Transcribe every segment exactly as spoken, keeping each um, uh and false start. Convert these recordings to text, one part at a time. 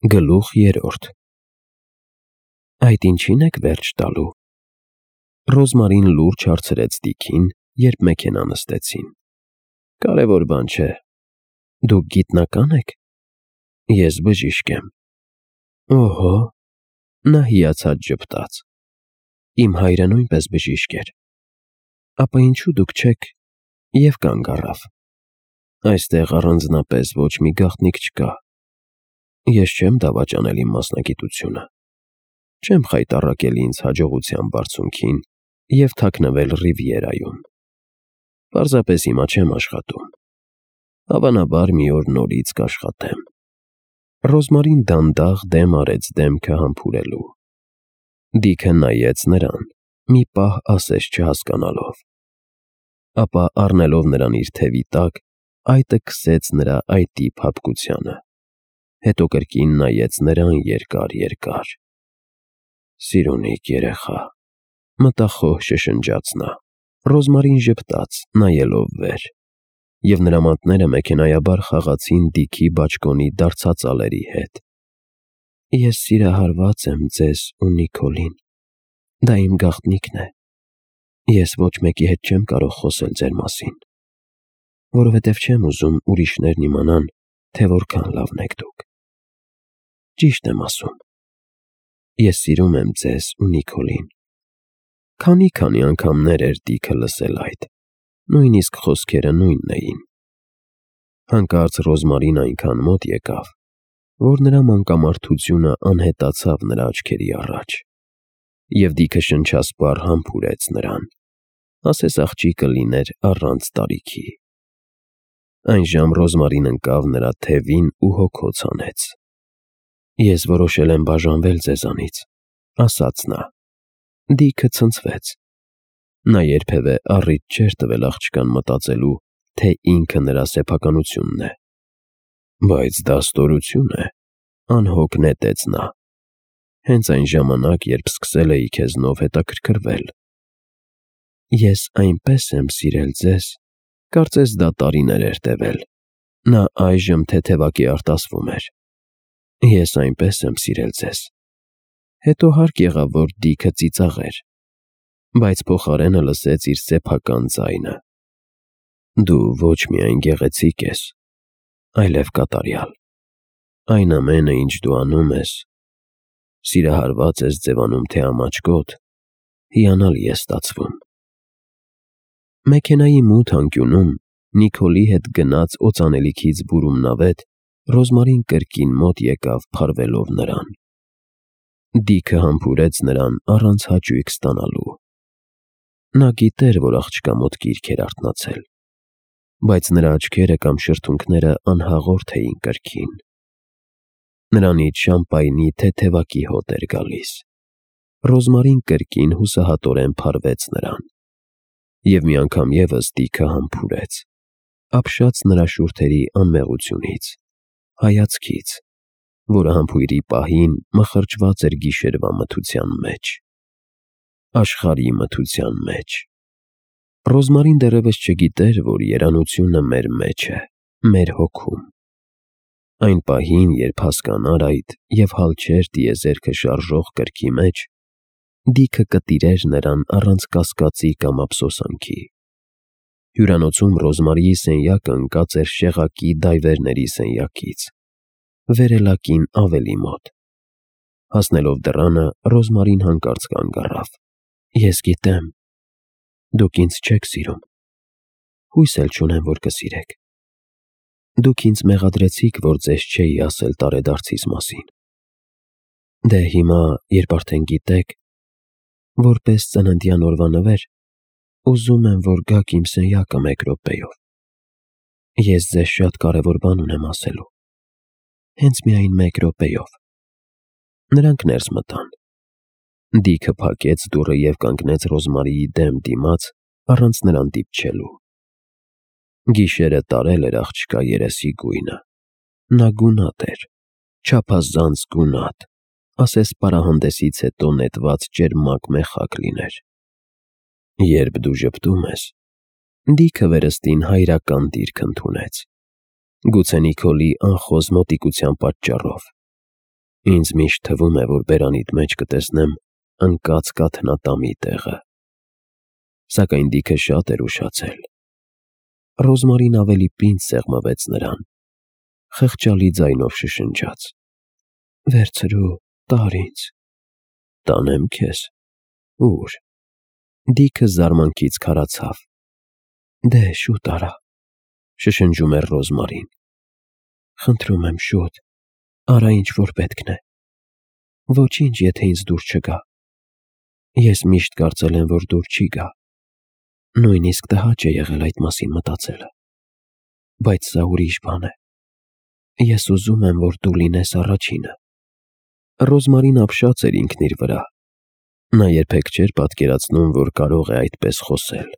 Գլուխ երրորդ Այդ ինչի՞ն եք վերջ տալու։ Ռոզմարին լուրջ հարցրեց Դիքին, երբ մեքենա նստեցին։ Կարևոր բան չէ։ Դուք գիտնակա՞ն եք։ Ես բժիշկ եմ։ Օհո։ Նա հիացած ժպտաց։ Իմ հայրը նույնպես բժիշկ էր։ Ապա ինչու դուք չեք։ Եվ կանգ առավ։ Այստեղ առանձնապես ոչ մի գաղտնիք չկա։ Ես չեմ դավաճանել իմ մասնագիտությունը։ Չեմ խայտառակել ինձ հաջողության բարձունքին և թաքնվել Ռիվիերայում։ Պարզապես հիմա չեմ աշխատում։ Հավանաբար մի օր նորից կաշխատեմ։ Ռոզմարին դանդաղ դեմ արեց դեմքը համբուրելու։ Դիքը նայեց նրան, մի պահ ասես չհասկանալով։ Ապա առնելով նրան իր թևի տակ, այտը քսեց նրա այտի փափկությանը։ Հետո կրկին նայեց նրան երկար-երկար։ Սիրունիկ երեխա, մտախոհ շշնջաց նա։ Ռոզմարին ժպտաց, նայելով վեր, և նրա մանտները մեքենայաբար խաղացին Դիքի բաճկոնի դարձածալերի հետ։ Ես սիրահարված եմ ձեզ ու Նիկոլին։ Դա իմ գաղտնիքն է։ Ես ոչ մեկի հետ չեմ կարող խոսել ձեր մասին, որովհետև չեմ ուզում ուրիշներն իմանան, թե որքան լավն եք դուք։ Ճիշտ եմ ասում։ Ես սիրում եմ ձեզ ու Նիկոլին։ Քանի՛֊քանի անգամներ էր Դիքը լսել այդ, նույնիսկ խոսքերը նույնն էին։ Հանկարծ Ռոզմարին այնքան մոտ եկավ, որ նրա մանկամարդությունը անհետացավ նրա աչքերի առաջ, և Դիքը շնչասպառ համբուրեց նրան, ասես աղջիկը լիներ առանց տարիքի։ Այնժամ Ռոզմարին ընկավ նրա թևին ու հոգոց հանեց։ Ես որոշել եմ բաժանվել ձեզանից, ասաց նա։ Դիքը ցնցվեց։ Նա երբևէ առիթ չէր տվել աղջկան մտածելու, թե ինքը նրա սեփականությունն է։ Բայց դա ստորություն է, անհոգ նետեց նա։ Հենց այն ժամանակ, երբ սկսել էի քեզնով հետաքրքրվել։ Ես այնպես եմ սիրել ձեզ, կարծես դա տարիներ էր տևել։ Նա այժմ թեթևակի արտասվում էր։ Ես այնպես եմ սիրել ձեզ։ Հետո հարկ եղավ, որ Դիքը ծիծաղեր, բայց փոխարենը լսեց իր սեփական ձայնը։ Դու ոչ միայն գեղեցիկ ես, այլև կատարյալ։ Այն ամենը, ինչ դու անում ես, սիրահարված ես ձևանում, թե ամաչկոտ, հիանալի է ստացվում։ Մեքենայի մութ անկյունում Նիկոլի հետ գնաց օծանելիքից բուրում նավետ, Ռոզմարին կրկին մոտ եկավ փարվելով նրան։ Դիքը համբուրեց նրան առանց հաճույք ստանալու։ Նա գիտեր, որ աղջկա մոտ գիրք էր արթնացել, բայց նրա աչքերը կամ շրթունքները անհաղորդ էին կրքին։ Նրանից շամպայնի թեթևակի հոտ էր գալիս։ Ռոզմարին կրկին հուսահատորեն փարվեց նրան։ Եվ մի անգամ ևս Դիքը համբուրեց, ապշած նրա շուրթերի անմեղությունից, հայացքից, որը համբույրի պահին մխրճված էր գիշերվա մթության մեջ։ Աշխարհի մթության մեջ։ Ռոզմարին դեռևս չգիտեր, որ երանությունը մեր մեջ է, մեր հոգում։ Այն պահին, երբ հասկանար այդ և հալչեր տիեզերքը շարժող կրքի մեջ, Դիքը կտիրեր նրան առանց կասկածի կամ ափսոսանքի։ Հյուրանոցում Ռոզմարիի սենյակը ընկած էր շեղակի դայվերների սենյակից, վերելակին ավելի մոտ։ Հասնելով դռանը, Ռոզմարին հանկարծ կանգ առավ։ Ես գիտեմ։ Դուք ինձ չեք սիրում։ Հույս էլ չունեմ, որ կսիրեք։ Դուք ինձ մեղադրեցիք, որ ձեզ չէի ասել տարեդարձիս մասին։ Դե հիմա, երբ արդեն գիտեք, որպես ծննդյան օրվա նվեր, ուզում եմ, որ գաք իմ սենյակը մեկ րոպեով։ Ես ձեզ շատ կարևոր բան ունեմ ասելու։ Հենց միայն մեկ րոպեով։ Նրանք ներս մտան։ Դիքը փակեց դուռը և կանգնեց Ռոզմարիի դեմ դիմաց, առանց նրան դիպչելու։ Գիշերը տարել էր աղջկա երեսի գույնը։ Նա գունատ էր, չափազանց գունատ, ասես պարահանդեսից հետո նետված ճերմակ մեխակ լիներ։ Երբ դու ժպտում ես, Դիքը վերստին հայրական դիրք ընդունեց, գուցե Նիկոլի անխոզ մոտիկության պատճառով, Ինձ միշտ թվում է, որ բերանիդ մեջ կտեսնեմ ընկած կաթնատամի տեղը։ Սակայն Դիքը շատ էր ուշացել։ Ռոզմարին ավելի պինդ սեղմվեց նրան, խղճալի ձայնով շշնջաց. «Վերցրու, տար ինձ»։ «Տանեմ քեզ»։ «Ո՞ւր»։ Դիքը զարմանքից քարացավ։ «Դե, շուտ արա», շշնջում էր Ռոզմարին։ «Խնդրում եմ, շուտ, արա ինչ որ պետքն է։ Ոչինչ, եթե ինձ դուր չգա։ Ես միշտ կարծել եմ, որ դուր չի գա։ Նույնիսկ տհաճ է եղել այդ մասին մտածելը։ Բայց սա ուրիշ բան է։ Ես ուզում եմ, որ դու լինես առաջինը»։ Ռոզմարին ապշած էր ինքն իր վրա։ Նա երբեք չէր պատկերացնում, որ կարող է այդպես խոսել։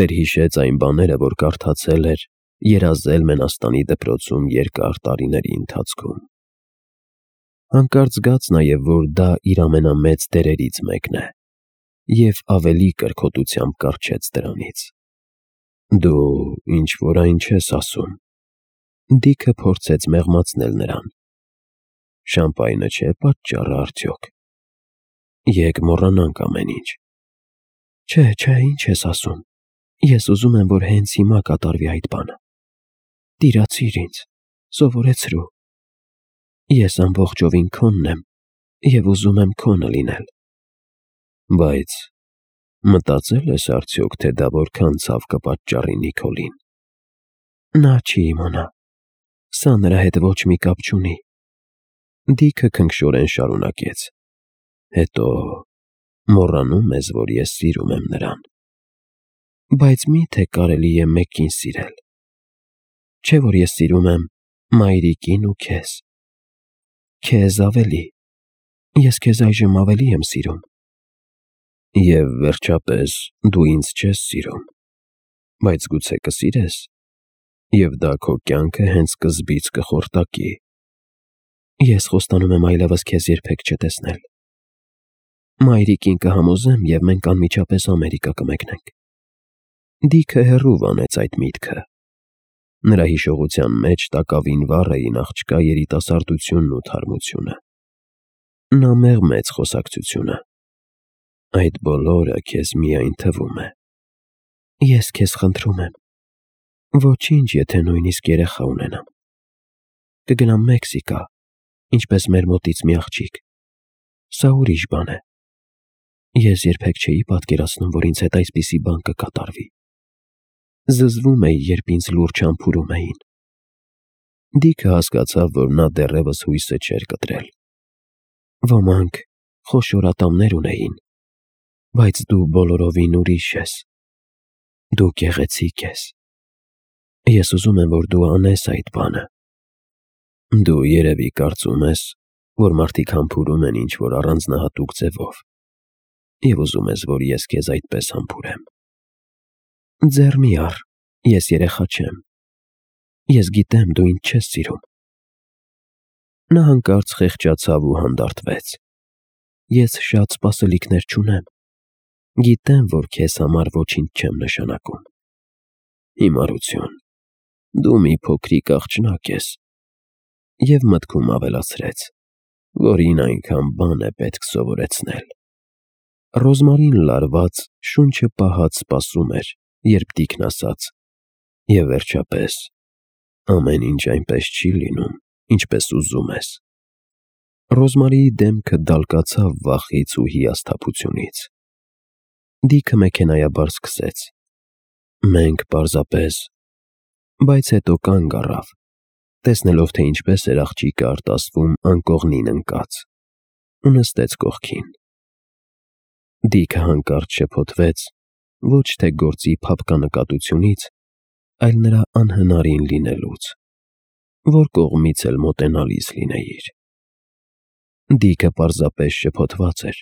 Վերհիշեց այն բաները, որ կարդացել էր, երազել Մենաստանի դպրոցում երկար տարիների ընթացքում։ Հանկարծ զգաց նաև, որ դա իր ամենամեծ դերերից մեկն է, և ավելի կրքոտությամբ կառչեց դրանից։ «Դու ինչ-որ այն չես ասում»։ Դիքը փորձեց մեղմացնել նրան։ «Շամպայնը չէ՞ պատճառը արդյոք։ Եկ մոռանանք ամեն ինչ»։ «Չէ, չէ, ինչ ես ասում։ Ես ուզում եմ, որ հենց հիմա կատարվի այդ բանը։ Տիրացիր ինձ, սովորեցրու։ Ես ամբողջովին քոնն եմ և ուզում եմ քոնը լինել»։ «Բայց մտածե՞լ ես արդյոք, թե դա որքան ցավ կպատճառի Նիկոլին»։ «Նա չի իմանա։ Սա նրա հետ ոչ մի կապ չունի»։ Դիքը քնքշորեն շարունակեց. «Հետո մոռանում ես, որ ես սիրում եմ նրան»։ «Բայց մի՞թե կարելի է մեկին սիրել։ Չէ՞ որ ես սիրում եմ մայրիկին ու քեզ։ Քեզ ավելի։ Ես քեզ այժմ ավելի եմ սիրում»։ «Եվ վերջապես դու ինձ չես սիրում, բայց գուցե կսիրես, և դա քո կյանքը հենց սկզբից կխորտակի»։ «Ես խոստանում եմ այլևս քեզ երբեք չտեսնել։ Մայրիկին կհամոզեմ, և մենք անմիջապես Ամերիկա կմեկնենք»։ Դիքը հեռու վանեց այդ միտքը։ Նրա հիշողության մեջ տակավին վառ էին աղջկա երիտասարդությունն ու թարմությունը։ Նա մեղմեց խոսակցությունը։ «Այդ բոլորը քեզ միայն թվում է»։ «Ես քեզ խնդրում եմ, ոչինչ, եթե նույնիսկ երեխա ունենամ։ Կգնամ Մեքսիկա, ինչպես մեր մոտից մի աղջիկ։ Սա ուրիշ բան է։ Ես երբեք չէի պատկերացնում, որ ինձ հետ այսպիսի բան կկատարվի։ Զզվում էի, երբ ինձ լուրջ համբուրում էին»։ Դիքը հասկացավ, որ նա դեռևս հույսը չէր կտրել։ «Ոմանք խոշոր ատամներ ունեին, բայց դու բոլորովին ուրիշ ես։ Դու գեղեցիկ ես։ Ես ուզում եմ, որ դու անես այդ բանը»։ «Դու երևի կարծում ես, որ մարդիկ համբուրում են ինչ-որ առանձնահատուկ ձևով, և ուզում ես, որ ես քեզ այդպես համբուրեմ»։ «Ձեռ մի առ, ես երեխա չեմ։ Ես գիտեմ, դու ինձ չես սիրում»։ Նա հանկարծ խեղճացավ ու հանդարտվեց։ «Ես շատ սպասելիքներ չունեմ։ Գիտեմ, որ քեզ համար ոչինչ չեմ նշանակում»։ «Հիմարություն, դու մի փոքրիկ աղջնակ ես»։ Եվ մտքում ավելացրեց, որին այնքան բան է պետք սովորեցնել։ Ռոզմարին լարված, շունչը պահած սպասում էր, երբ Դիքն ասաց. «Եվ վերջապես, ամեն ինչ այնպես չի լինում, ինչպես ուզում ես»։ Ռոզմարիի դեմքը դալկացավ վախից ու հիասթափությունից։ Դիքը մեքենայաբար սկսեց. «Մենք պարզապես…»։ Բայց հետո կանգ առավ, տեսնելով, թե ինչպես էր աղջիկը արտասվում անկողնին ընկած, ու նստեց կողքին։ Դիքը հանկարծ շփոթվեց ոչ թե գործի փափկանկատությունից, այլ նրա անհնարին լինելուց, որ կողմից էլ մոտենալիս լինեիր։ Դիքը պարզապես շփոթված էր,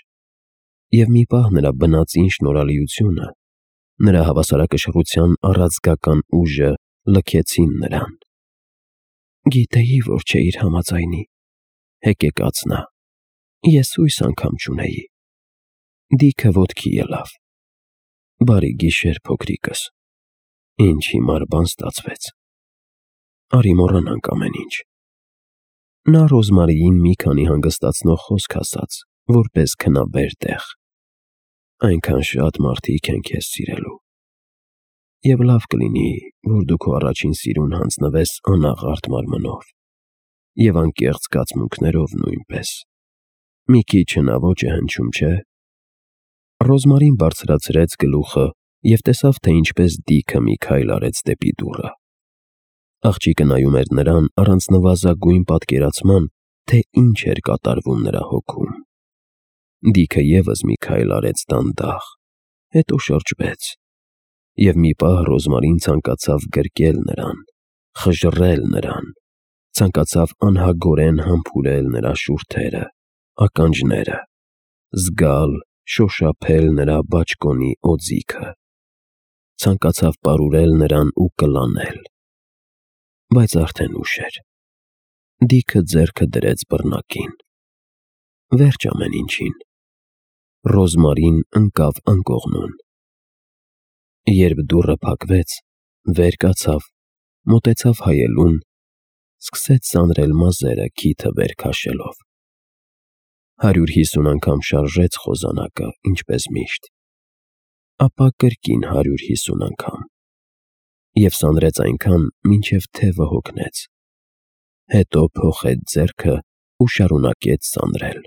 և մի պահ նրա բնածին շնորհալիությունը, նրա հավասարակշռության առաձգական ուժը լքեցին նրան։ «Գիտեի, որ չէիր համաձայնի», հեկեկաց նա։ «Ես հույս անգամ չունեի»։ Դիքը ոտքի ելավ։ «Բարի գիշեր, փոքրիկս։ Ինչ հիմար բան ստացվեց։ Արի մոռանանք ամեն ինչ»։ Նա Ռոզմարիին մի քանի հանգստացնող խոսք ասաց, որպես քնաբեր տեղ։ Այնքան շատ մարդիկ են քեզ սիրելու։ Եվ լավ կլինի, որ դու քո առաջին սիրուն հանձնվես անաղարտ մարմնով, և անկեղծ զգացմունքներով նույնպես։ Մի քիչ հնաոճ է հնչում, չէ՞։ Ռոզմարին բարձրացրեց գլուխը և տեսավ, թե ինչպես Դիքը մի քայլ արեց դեպի դուռը։ Աղջիկը նայում էր նրան առանց նվազագույն պատկերացման, թե ինչ էր կատարվում նրա հոգում։ Դիքը ևս մի քայլ արեց դանդաղ, հետո շրջվեց, և մի պահ Ռոզմարին ցանկացավ գրկել նրան, խժռել նրան, ցանկացավ անհագորեն համբուրել նրա շուրթերը, ականջները, զգալ, շոշափել նրա բաճկոնի օձիքը, ցանկացավ պարուրել նրան ու կլանել։ Բայց արդեն ուշ էր։ Դիքը ձեռքը դրեց բռնակին։ Վերջ ամեն ինչին։ Ռոզմարին ընկավ անկողնուն։ Երբ դուռը փակվեց, վեր կացավ, մոտեցավ հայելուն, սկսեց սանրել մազերը քիթը վեր քաշելով։ Հարյուր հիսուն անգամ շարժեց խոզանակը, ինչպես միշտ, ապա կրկին հարյուր հիսուն անգամ, և սանրեց այնքան, մինչև թևը հոգնեց։ Հետո փոխեց ձեռքը ու շարունակեց սանրել։